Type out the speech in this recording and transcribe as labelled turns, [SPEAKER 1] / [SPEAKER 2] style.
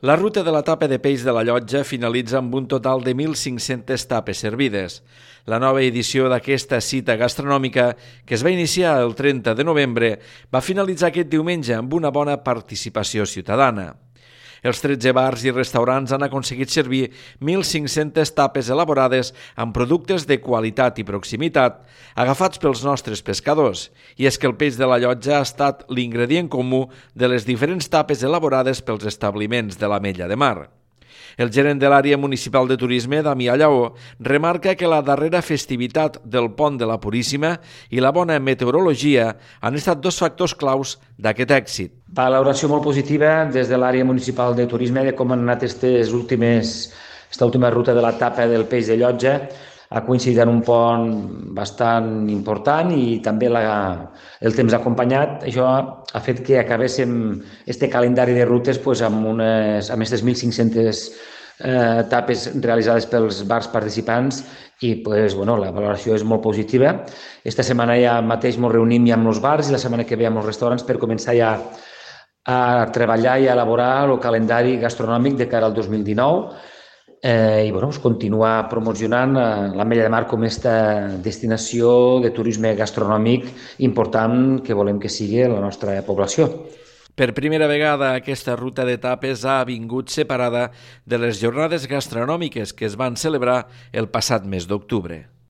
[SPEAKER 1] La ruta de la tapa de peix de la Llotja finalitza amb un total de 1.500 tapes servides. La nova edició d'aquesta cita gastronòmica, que es va iniciar el 30 de novembre, va finalitzar aquest diumenge amb una bona participació ciutadana. Els 13 bars i restaurants han aconseguit servir 1.500 tapes elaborades amb productes de qualitat i proximitat, agafats pels nostres pescadors. I és que el peix de la Llotja ha estat l'ingredient comú de les diferents tapes elaborades pels establiments de l'Ametlla de Mar. El gerent de l'àrea municipal de turisme, Damià Lleó, remarca que la darrera festivitat del Pont de la Puríssima i la bona meteorologia han estat dos factors claus d'aquest èxit.
[SPEAKER 2] Valoració molt positiva des de l'àrea municipal de turisme de com han anat esta última ruta de la tapa del peix de Llotja. Ha coincidit en un pont bastant important i també el temps acompanyat. Això ha fet que acabéssim este calendari de rutes amb aquestes 1.500 tapes realitzades pels bars participants i la valoració és molt positiva. Esta setmana ja mateix ens reunim ja amb els bars i la setmana que ve amb els restaurants per començar ja a treballar i a elaborar el calendari gastronòmic de cara al 2019 continuar promocionant l'Ametlla de Mar com aquesta destinació de turisme gastronòmic important que volem que sigui la nostra població.
[SPEAKER 1] Per primera vegada, aquesta ruta d'etapes ha vingut separada de les jornades gastronòmiques que es van celebrar el passat mes d'octubre.